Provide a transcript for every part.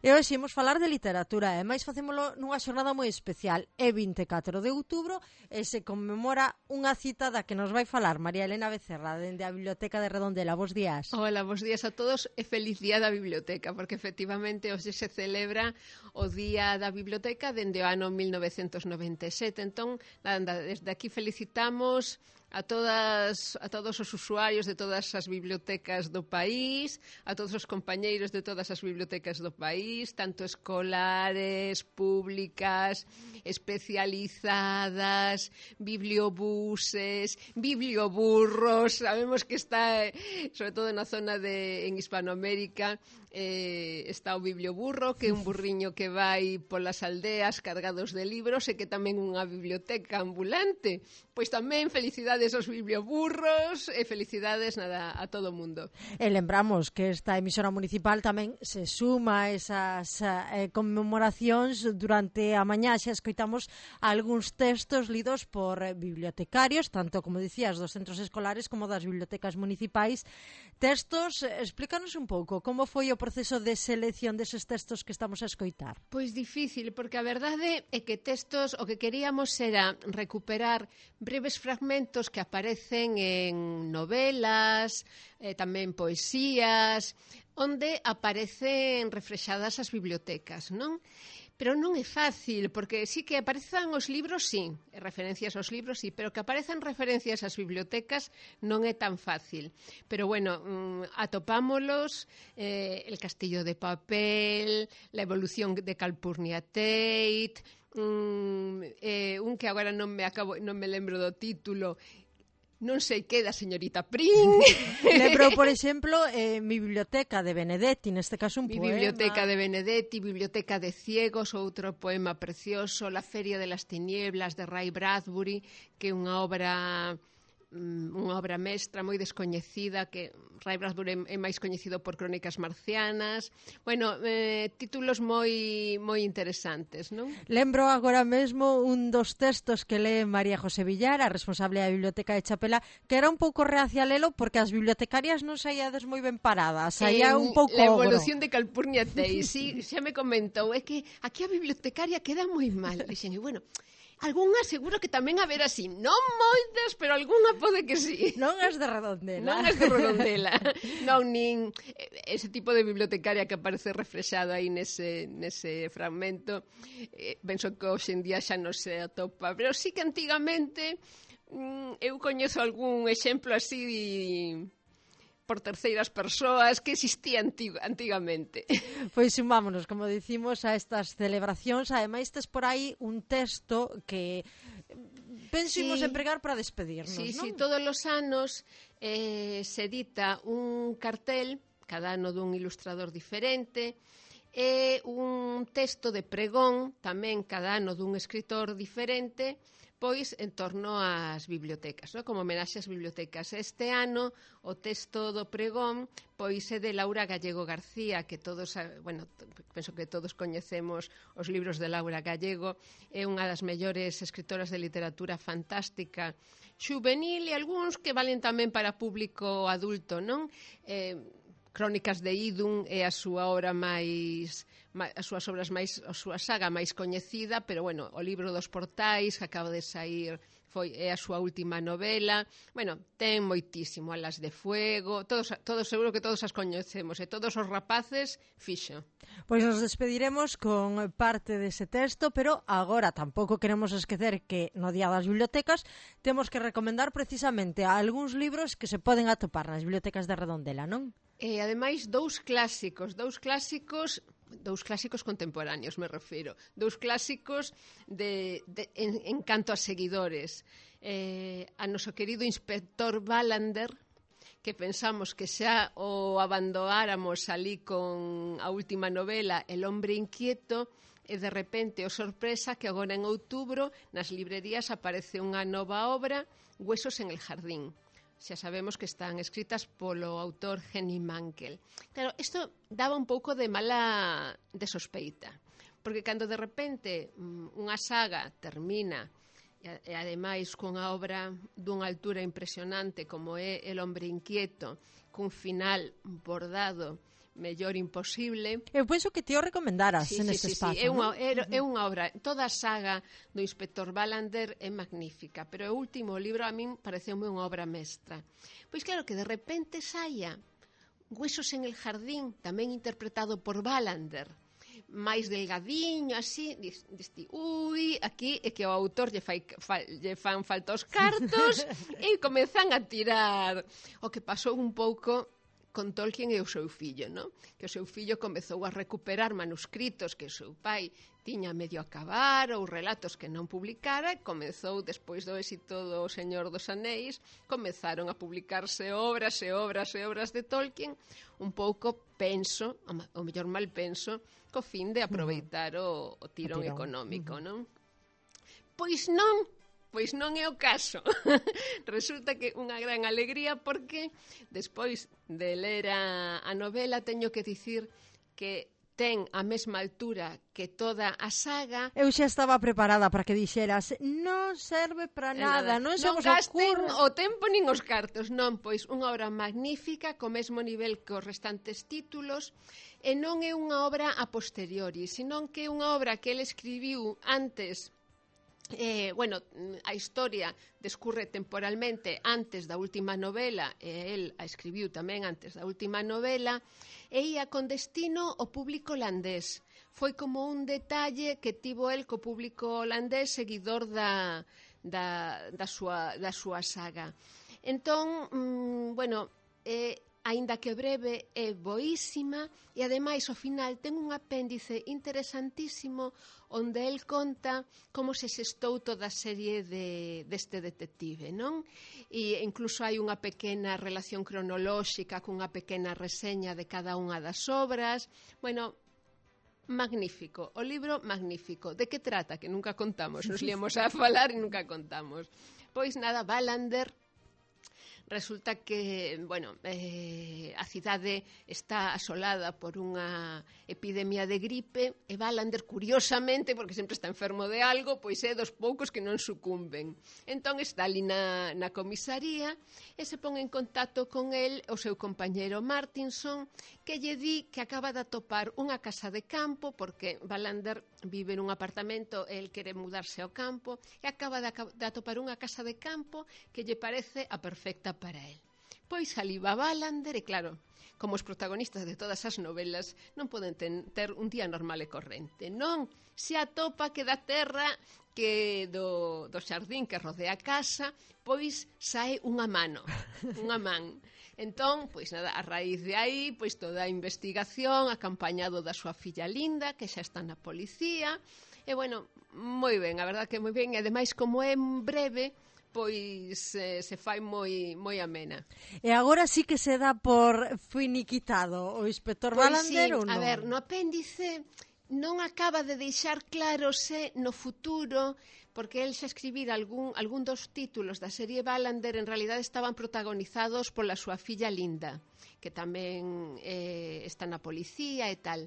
E hoxe imos falar de literatura, e máis facémolo nunha xornada moi especial. É 24 de outubro e se conmemora unha cita da que nos vai falar María Elena Becerra, dende a Biblioteca de Redondela. Bos días. Hola, bos días a todos e feliz día da biblioteca, porque efectivamente hoxe se celebra o Día da Biblioteca dende o ano 1997. Entón, desde aquí felicitamos a todos os usuarios de todas as bibliotecas do país, a todos os compañeiros de todas as bibliotecas do país, tanto escolares, públicas, especializadas, bibliobuses, biblioburros. Sabemos que está, sobre todo na zona en Hispanoamérica, está o biblioburro, que é un burriño que vai polas aldeas cargados de libros e que tamén unha biblioteca ambulante. Pois tamén felicidades aos biblioburros e felicidades a todo o mundo. E lembramos que esta emisora municipal tamén se suma a esas conmemoracións. Durante a mañá xa escoitamos algúns textos lidos por bibliotecarios, tanto, como dicías, dos centros escolares como das bibliotecas municipais. Textos, explícanos un pouco como foi o proceso de selección deses textos que estamos a escoitar. Pois difícil, porque a verdade é que textos, o que queríamos era recuperar breves fragmentos que aparecen en novelas, tamén poesías, onde aparecen reflexadas as bibliotecas, non? Pero non é fácil, porque sí que aparezan os libros, sí, referencias aos libros, sí, pero que aparezan referencias ás bibliotecas non é tan fácil. Pero bueno, atopámolos, El castillo de papel, La evolución de Calpurnia Tate, un que agora non me lembro do título, non sei que da señorita Prim. Lembro, por exemplo, Mi biblioteca de Benedetti, neste caso un poema. Mi biblioteca de Benedetti, Biblioteca de ciegos, outro poema precioso, La feria de las tinieblas de Ray Bradbury, que é unha obra mestra moi descoñecida, que Ray Bradbury é máis coñecido por Crónicas marcianas. Bueno, títulos moi interesantes, non? Lembro agora mesmo un dos textos que lee María José Villar, a responsable da Biblioteca de Chapela, que era un pouco reacia a lelo porque as bibliotecarias non saíades moi ben paradas, saía un pouco La evolución de Calpurnia Tate, sí, xa me comentou, é que aquí a bibliotecaria queda moi mal. Dixen, bueno, algunha seguro que tamén haber así, non moitas, pero algunha pode que sí. Non as de Redondela. Non as de Redondela. Non, nin ese tipo de bibliotecaria que aparece reflexado aí nese fragmento. Penso que hoxe en día xa non se atopa, pero sí que antigamente eu coñezo algún exemplo así por terceiras persoas que existía antigamente. Pois sumámonos, como dicimos, a estas celebracións. Ademais, tes por aí un texto que pensamos empregar para despedirnos, sí, non? Sí, todos os anos se edita un cartel, cada ano dun ilustrador diferente, e un texto de pregón, tamén cada ano dun escritor diferente, pois en torno ás bibliotecas, non? Como homenaxe ás bibliotecas. Este ano o texto do pregón pois é de Laura Gallego García, que todos, bueno, penso que todos coñecemos os libros de Laura Gallego, é unha das mellores escritoras de literatura fantástica xuvenil e algúns que valen tamén para público adulto, non? Crónicas de Idun é a súa obra a súa saga máis coñecida, pero bueno, o libro dos portais que acaba de sair é a súa última novela. Bueno, ten moitísimo, Alas de Fuego, todos seguro que todos as coñecemos, e todos os rapaces fixo. Pois nos despediremos con parte dese texto, pero agora tampouco queremos esquecer que no Día das Bibliotecas temos que recomendar precisamente algúns libros que se poden atopar nas bibliotecas de Redondela, non? E ademais dous clásicos contemporáneos, me refiro, dous clásicos en canto a seguidores. A noso querido inspector Wallander, que pensamos que xa o abandonáramos ali con a última novela El hombre inquieto, e de repente, sorpresa, que agora en outubro nas librerías aparece unha nova obra, Huesos en el jardín. Xa sabemos que están escritas polo autor Henning Mankell. Claro, isto daba un pouco de sospeita, porque cando de repente unha saga termina e ademais cunha obra dunha altura impresionante como é El hombre inquieto, cun final bordado mellor imposible. Eu penso que ti o recomendaras neste espazo. É unha obra, toda a saga do Inspector Wallander é magnífica, pero o último libro a min pareceume unha obra mestra. Pois claro que de repente saia Huesos en el jardín, tamén interpretado por Wallander, máis delgadiño, así, diste, ui, aquí é que o autor lle fan falta os cartos e comezan a tirar. O que pasou un pouco con Tolkien e o seu fillo, non? Que o seu fillo comezou a recuperar manuscritos que o seu pai tiña medio a acabar ou relatos que non publicara e comezou, despois do éxito do Señor dos Anéis, comezaron a publicarse obras e obras e obras de Tolkien, un pouco, penso, o mellor mal penso, co fin de aproveitar o tirón económico, non? Pois non é o caso. Resulta que unha gran alegría porque despois de ler a novela teño que dicir que ten a mesma altura que toda a saga. Eu xa estaba preparada para que dixeras non serve para nada, non se vos gasten ocurre o tempo nin os cartos, non, pois unha obra magnífica co mesmo nivel que os restantes títulos e non é unha obra a posteriori, senón que é unha obra que ele escribiu antes. A historia descurre temporalmente antes da última novela e el a escribiu tamén antes da última novela e ia con destino ao público holandés. Foi como un detalle que tivo el co público holandés seguidor da súa saga. Entón, aínda que breve, é boísima e ademais ao final ten un apéndice interesantísimo onde el conta como se xestou toda a serie deste detective, non? E incluso hai unha pequena relación cronolóxica cunha pequena reseña de cada unha das obras. Bueno, magnífico, o libro magnífico. De que trata? Que nunca contamos, nos liamos a falar e nunca contamos. Pois nada, Wallander resulta que, a cidade está asolada por unha epidemia de gripe e Wallander, curiosamente, porque sempre está enfermo de algo, pois é dos poucos que non sucumben. Entón está ali na comisaría e se pon en contacto con el o seu compañeiro Martinson, que lle di que acaba de atopar unha casa de campo, porque Wallander vive nun apartamento e el quere mudarse ao campo, e acaba de atopar unha casa de campo que lle parece a perfecta para el. Pois ali va Wallander e claro, como os protagonistas de todas as novelas non poden ter un día normal e corrente. Non, se atopa que da terra que do xardín que rodea a casa, pois sae unha man. Entón, pois nada, a raíz de aí, pois toda a investigación, acompañado da súa filla Linda, que xa está na policía, e moi ben, a verdad que moi ben, e ademais como é breve, pois se fai moi amena. E agora sí que se dá por finiquitado o Inspector Wallander ou non? A ver, no apéndice non acaba de deixar claro se no futuro, porque el xa escribira algún dos títulos da serie Wallander en realidade estaban protagonizados pola súa filla Linda, que tamén está na policía e tal.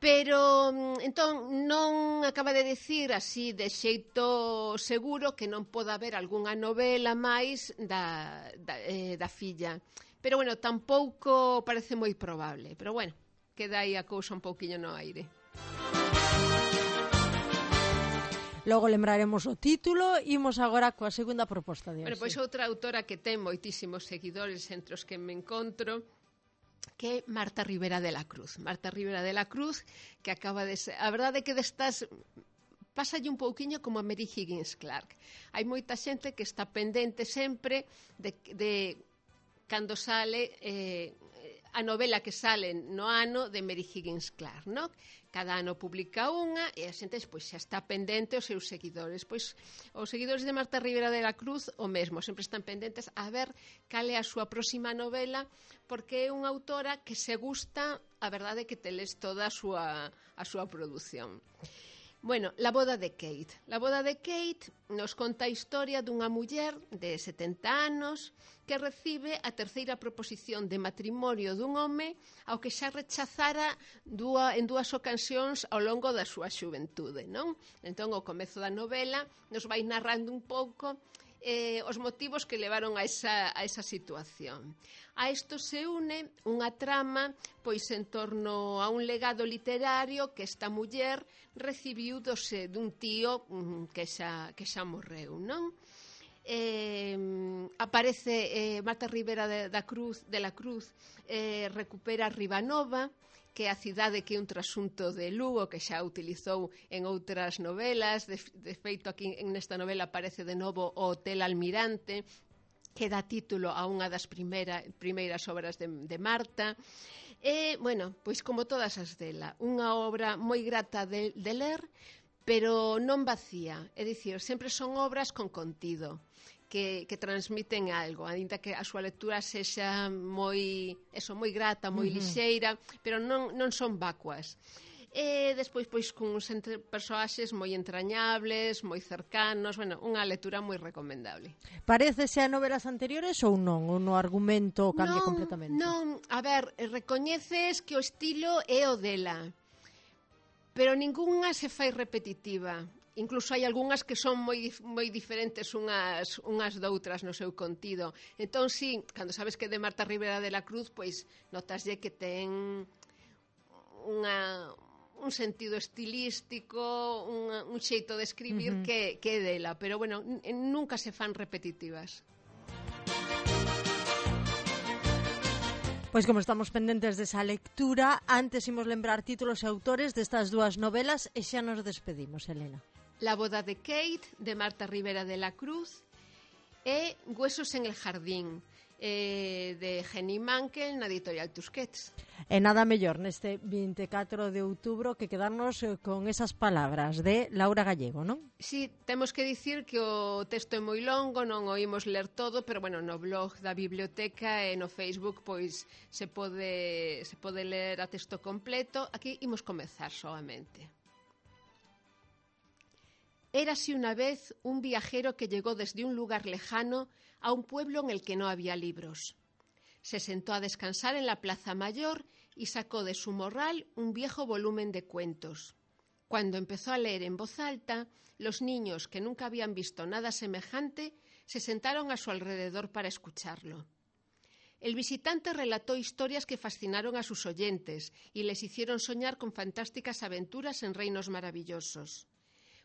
Pero, entón, non acaba de dicir así de xeito seguro que non poda haber algunha novela máis da filla. Pero, tampouco parece moi probable. Pero, queda aí a cousa un pouquiño no aire. Logo lembraremos o título. Imos agora coa segunda proposta de hoxe. Pois outra autora que ten moitísimos seguidores entre os que me encontro, que é Marta Rivera de la Cruz. Marta Rivera de la Cruz, que acaba de ser... A verdade é que destas... Pásalle un pouquiño como a Mary Higgins Clark. Hai moita xente que está pendente sempre de cando sale a novela que sale no ano de Mary Higgins Clark, non? Cada ano publica unha e a xente pois, xa está pendente os seus seguidores. Pois os seguidores de Marta Rivera de la Cruz o mesmo, sempre están pendentes a ver cal é a súa próxima novela, porque é unha autora que se gusta, a verdade é que te les toda a súa produción. La boda de Kate. La boda de Kate nos conta a historia dunha muller de 70 anos que recibe a terceira proposición de matrimonio dun home ao que xa rechazara en dúas ocasións ao longo da súa xuventude, non? Entón, o comezo da novela nos vai narrando un pouco os motivos que levaron a esa situación. A isto se une unha trama pois en torno a un legado literario que esta muller recibiu dun tío que xa morreu, non? Aparece Marta Rivera de la Cruz recupera Ribanova, que é a cidade que é un trasunto de Lugo que xa utilizou en outras novelas. De feito, aquí nesta novela aparece de novo o Hotel Almirante, que dá título a unha das primeiras obras de Marta. E, bueno, pois como todas as dela, unha obra moi grata de ler, pero non vacía. É dicir, sempre son obras con contido, que transmiten algo, aínda que a súa lectura sexa moi grata, moi lixeira, pero non son vacuas. E despois, pois, con uns persoaxes moi entrañables, moi cercanos, bueno, unha lectura moi recomendable. Parécese a novelas anteriores ou non? Ou no argumento cambia completamente? Non, a ver, recoñeces que o estilo é o dela, pero ningunha se fai repetitiva. Incluso hai algunhas que son moi diferentes unhas doutras no seu contido. Entón, sí, cando sabes que é de Marta Rivera de la Cruz, pois notaslle que ten un sentido estilístico, un xeito de escribir que é dela, pero, bueno, nunca se fan repetitivas. Pois como estamos pendentes desa lectura, antes imos lembrar títulos e autores destas dúas novelas e xa nos despedimos, Elena. La boda de Kate, de Marta Rivera de la Cruz, e Huesos en el jardín, de Jenny Mankel, na editorial Tusquets. E nada mellor neste 24 de outubro que quedarnos con esas palabras de Laura Gallego, non? Sí, temos que dicir que o texto é moi longo, non o imos ler todo, pero, bueno, no blog da biblioteca e no Facebook pois se pode ler a texto completo. Aquí imos comezar solamente. Érase una vez un viajero que llegó desde un lugar lejano a un pueblo en el que no había libros. Se sentó a descansar en la plaza mayor y sacó de su morral un viejo volumen de cuentos. Cuando empezó a leer en voz alta, los niños, que nunca habían visto nada semejante, se sentaron a su alrededor para escucharlo. El visitante relató historias que fascinaron a sus oyentes y les hicieron soñar con fantásticas aventuras en reinos maravillosos.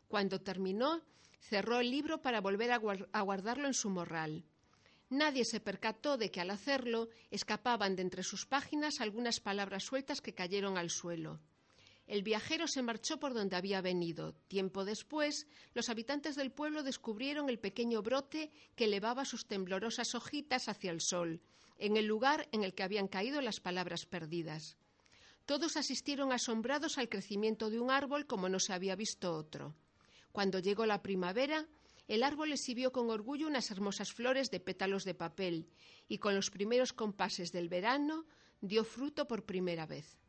Cuando terminó, cerró el libro para volver a guardarlo en su morral. Nadie se percató de que al hacerlo escapaban de entre sus páginas algunas palabras sueltas que cayeron al suelo. El viajero se marchó por donde había venido. Tiempo después, los habitantes del pueblo descubrieron el pequeño brote que elevaba sus temblorosas hojitas hacia el sol, en el lugar en el que habían caído las palabras perdidas. Todos asistieron asombrados al crecimiento de un árbol como no se había visto otro. Cuando llegó la primavera, el árbol exhibió con orgullo unas hermosas flores de pétalos de papel y con los primeros compases del verano dio fruto por primera vez.